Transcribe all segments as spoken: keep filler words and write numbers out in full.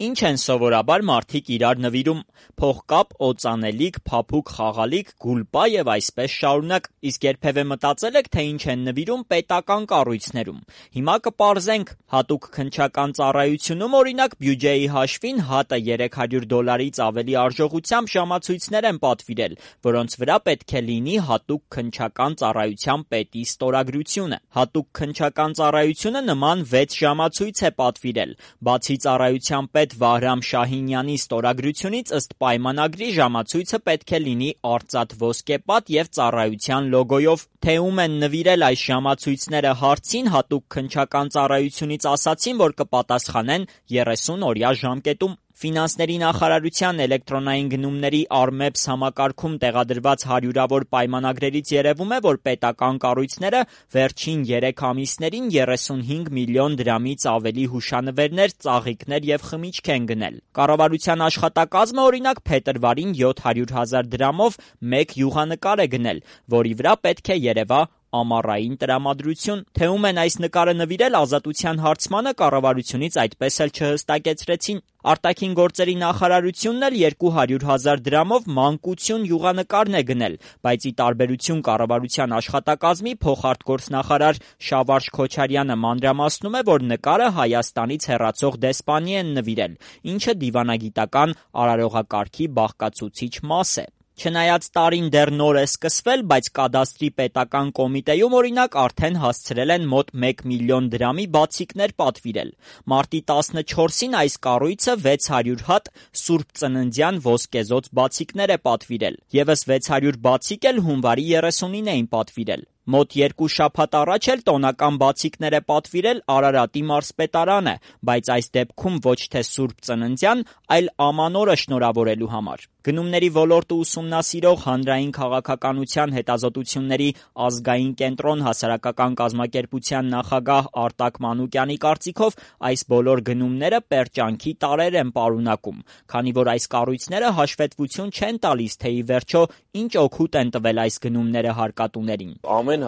Ինչ են սովորաբար մարդիկ իրար նվիրում՝ փողկապ, օծանելիք, փափուկ խաղալիք, գուլպա և այսպես շարունակ, իսկ երբևէ մտածել եք, թե ինչ են նվիրում պետական կառույցներում։ Հիմա կպարզենք, հատուկ քննչական ծառայությունում օրինակ բյուջեի հաշվին ՀԱՏ-ը երեք հարյուր դոլարից ավելի արժողությամբ ժամացույցներ են պատվիրել, որոնց վրա պետք է լինի հատուկ քննչական ծառայության պետի ստորագրությունը։ Հատուկ քննչական ծառայությունը նման վեց ժամացույց է պատվիրել։ Բացի ծառայության պետ Վահրամ Շահինյանի ստորագրությունից ըստ պայմանագրի ժամացույցը պետք է լինի արծաթ ոսկեպատ և ծառայության լոգոյով։ Թե ում են նվիրել այս ժամացույցները հարցին հատուկ քննչական ծառայությունից ասացին, որ կպատասխանեն երեսուն օրյա ժամկետում։ Ֆինանսների նախարարության էլեկտրոնային գնումների Արմեբս համակարգում տեղադրված հարյուրավոր պայմանագրերից երևում է, որ պետական կառույցները վերջին երեք ամիսներին երեսունհինգ միլիոն դրամից ավելի հուշանվերներ, ծաղիկներ և խմիչք են գնել։ Կառավարության աշխատակազմը օրինակ փետրվարին յոթ հարյուր հազար դրամով մեկ յուղանկար է գնել, որի վրա պետք է երևա ամառային տրամադրություն։ Թե ում են այս նկարը նվիրել, Ազատության հարցմանը կառավարությունից այդպես էլ չհստակեցրեցին։ Արտաքին գործերի նախարարությունն էլ երկու հարյուր հազար դրամով մանկություն յուղանկարն է գնել, բայց ի տարբերություն կառավարության աշխատակազմի փոխարտգործնախարար Շավարշ Քոչարյանը մանրամասնում է, որ նկարը Հայաստանից հեռացող դեսպանի են նվիրել, ինչը դիվանագիտական արարողակարգի բաղկացուցիչ մաս է։ Չնայած տարին դեռ նոր է սկսվել, բայց կադաստրի պետական կոմիտեում օրինակ արդեն հասցրել են մոտ մեկ միլիոն դրամի բացիկներ պատվիրել։ Մարտի տասնչորսին այս կառույցը վեց հարյուր հատ Սուրբ Ծննդյան ոսկեզօծ բացիկներ է պատվիրել։ Եվս վեց հարյուր բացիկ էլ հունվարի երեսունին էին պատվիրել։ Մոտ երկու շաբաթ առաջ էլ տոնական բացիկներ է պատվիրել Արարատի մարզպետարանը, բայց այս դեպքում ոչ թե Սուրբ Ծննդյան, այլ Ամանորը շնորհավորելու համար։ Գնումների ոլորտը ուսումնասիրող Հանրային քաղաքականության հետազոտությունների ազգային կենտրոն հասարակական կազմակերպության նախագահ Արտակ Մանուկյանի կարծիքով այս բոլոր գնումները պերճանքի տարրեր են պարունակում, քանի որ այս կառույցները հաշվետվություն չեն տալիս, թե ի վերջո ինչ օգուտ են տվել այս գնումները հարկատուներին։ Ամեն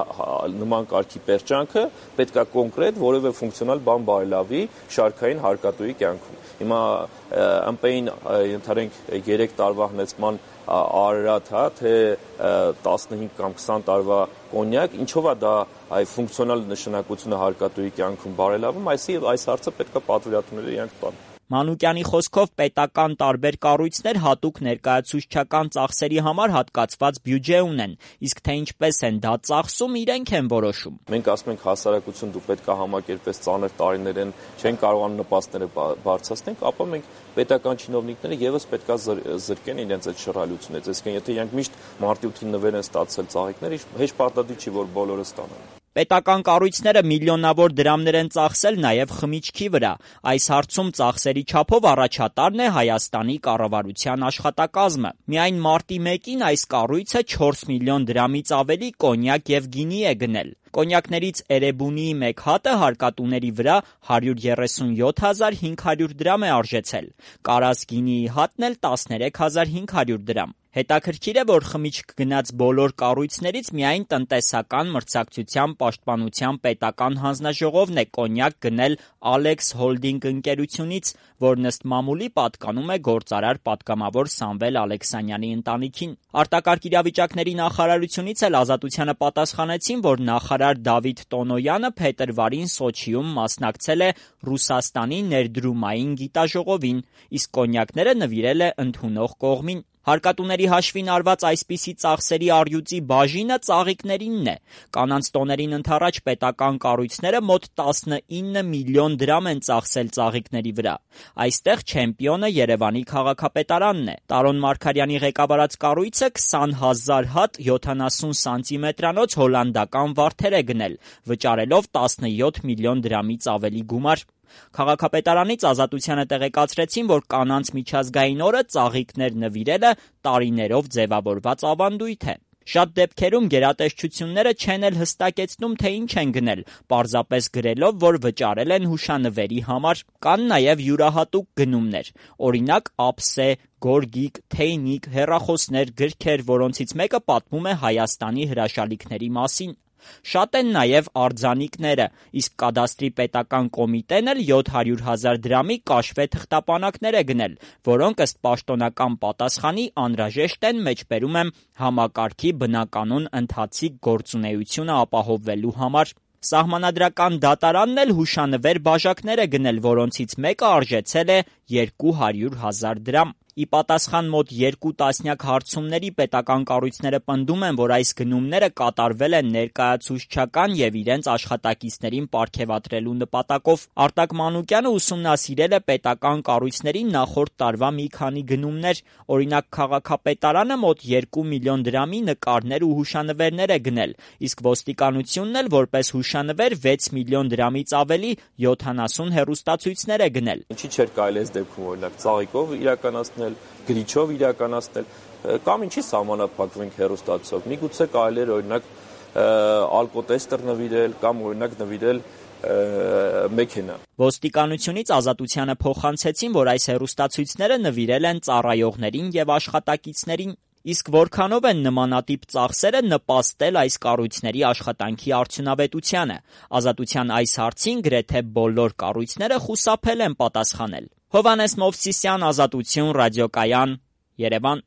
նման կարգի պերճանքը պետք է կոնկրետ որևէ ֆունկցիոնալ բան բարելավի շարքային հարկատուի կյանքում։ Հիմա ըմպեին ենթարենք երեք տարվա հնեցման Արարատ, հա, թե տասնհինգ կամ քսան տարվա կոնյակ, ինչով է դա այ ֆունկցիոնալ նշանակությունը հարկատուի կյանքում բարելավում, այսի այս հարցը պետք է պատվիրատուները իրենք տան։ Մանուկյանի խոսքով պետական տարբեր կառույցներ հատուկ ներկայացուցչական ծախսերի համար հատկացված բյուջե ունեն, իսկ թե ինչպես են դա ծախսում, իրենք են որոշում։ Մենք ասում ենք հասարակություն դու պետք է համակերպես ծանր տարիներ են, չեն կարողանում նպաստները բարձրացնենք, ապա մենք պետական չինովնիկները եւս պետք է զրկեն իրենց այդ շռայլությունից։ Այսինքն եթե իրենք միշտ մարտի ութին նվեր են ստացել ծաղիկներ, հեշտ պարտադիր չի, որ բոլորը ստանան։ Պետական կառույցները միլիոնավոր դրամներ են ծախսել նաև խմիչքի վրա։ Այս հարցում ծախսերի չափով առաջատարն է Հայաստանի կառավարության աշխատակազմը։ Միայն մարտի մեկին այս կառույցը չորս միլիոն դրամից ավելի կոնյակ և գինի է գնել։ Կոնյակներից Էրեբունիի մեկ հատը հարկատուների վրա հարյուր երեսունյոթ հազար հինգ հարյուր դրամ է արժեցել։ Կարաս գինիի հատն էլ տասներեք հազար հինգ հարյուր դրամ։ Հետաքրքիր է, որ խմիչք գնած բոլոր կառույցներից միայն տնտեսական մրցակցության պաշտպանության պետական հանձնաժողովն է կոնյակ գնել Ալեքս Հոլդինգ ընկերությունից, որն ըստ մամուլի պատկանում է գործարար պատգամավոր Սամվել Ալեքսանյանի ընտանիքին։ Արտակարգ իրավիճակների նախարարությունից էլ Ազատությանը պատասխանեցին, որ նախարար Դավիթ Տոնոյանը փետրվարին Սոչիում մասնակցել է Ռուսաստանի ներդրումային գիտաժողովին, իսկ կոնյակները նվիրել է ընդունող կողմին։ Հարկատուների հաշվին արված այսպիսի ծախսերի առյուծի բաժինը ծաղիկներինն է։ Կանանց տոներին ընդառաջ պետական կառույցները մոտ տասնինը միլիոն դրամ են ծախսել ծաղիկների վրա։ Այստեղ չեմպիոնը Երևանի քաղաքապետարանն է։ Տարոն Մարգարյանի ղեկավարած կառույցը քսան հազար հատ յոթանասուն սանտիմետրանոց հոլանդական վարդեր է գնել, վճարելով տասնյոթ միլիոն դրամից ավելի գումար։ Քաղաքապետարանից Ազատությանը տեղեկացրեցին, որ կանանց միջազգային օրը ծաղիկներ նվիրելը տարիներով ձևավորված ավանդույթ է։ Շատ դեպքերում գերատեսչությունները չեն էլ հստակեցնում, թե ինչ են գնել, պարզապես գրելով, որ վճարել են հուշանվերի համար։ Կան նաև յուրահատուկ գնումներ, օրինակ ափսե, գորգիկ, թեյնիկ, հեռախոսներ, գրքեր, որոնցից մեկը պատմում է Հայաստանի հրաշալիքների մասին։ Շատ են նաև արձանիկները, իսկ կադաստրի պետական կոմիտեն էլ յոթ հարյուր հազար դրամի կաշվե թղթապանակներ է գնել, որոնք ըստ պաշտոնական պատասխանի անհրաժեշտ են, մեջբերում եմ, համակարգի բնականոն ընթացիկ գործունեությունը ապահովելու համար։ Սահմանադրական դատարանն էլ հուշանվեր բաժակներ է գնել, որոնցից մեկը արժեցել է երկու հարյուր հազար դրամ։ Ի պատասխան մոտ երկու տասնյակ հարցումների պետական կառույցները պնդում են, որ այս գնումները կատարվել են ներկայացուցչական և իրենց աշխատակիցներին պարգևատրելու նպատակով։ Արտակ Մանուկյանը ուսումնասիրել է պետական կառույցների նախորդ տարվա մի քանի գնումներ, օրինակ քաղաքապետարանը մոտ երկու միլիոն դրամի նկարներ ու հուշանվերներ է գնել, իսկ ոստիկանությունն էլ որպես հուշանվեր վեց միլիոն դրամից ավելի յոթանասուն հեռուստացույցներ է գնել։ Ինչի՞ չէր կարելի այս դեպքում օրինակ ծաղիկով իրականացնել, գրիչով իրականացնել, կամ ինչի սահմանափակվենք հեռուստացույցով։ Միգուցե կարելի էր օրինակ ալկոտեստեր նվիրել կամ օրինակ նվիրել մեքենա։ Ոստիկանությունից Ազատությանը փոխանցեցին, որ այս հեռուստացույցները նվիրել են ծառայողներին և աշխատակիցներին։ Իսկ որքանով են նմանատիպ ծախսերը նպաստել այս կառույցների աշխատանքի արդյունավետությանը։ Ազատության այս հարցին գրեթե բոլոր կառույցները խուսափել են պատասխանել։ Հովհաննես Մովսիսյան, Ազատություն, Ռադիոկայան, Երևան։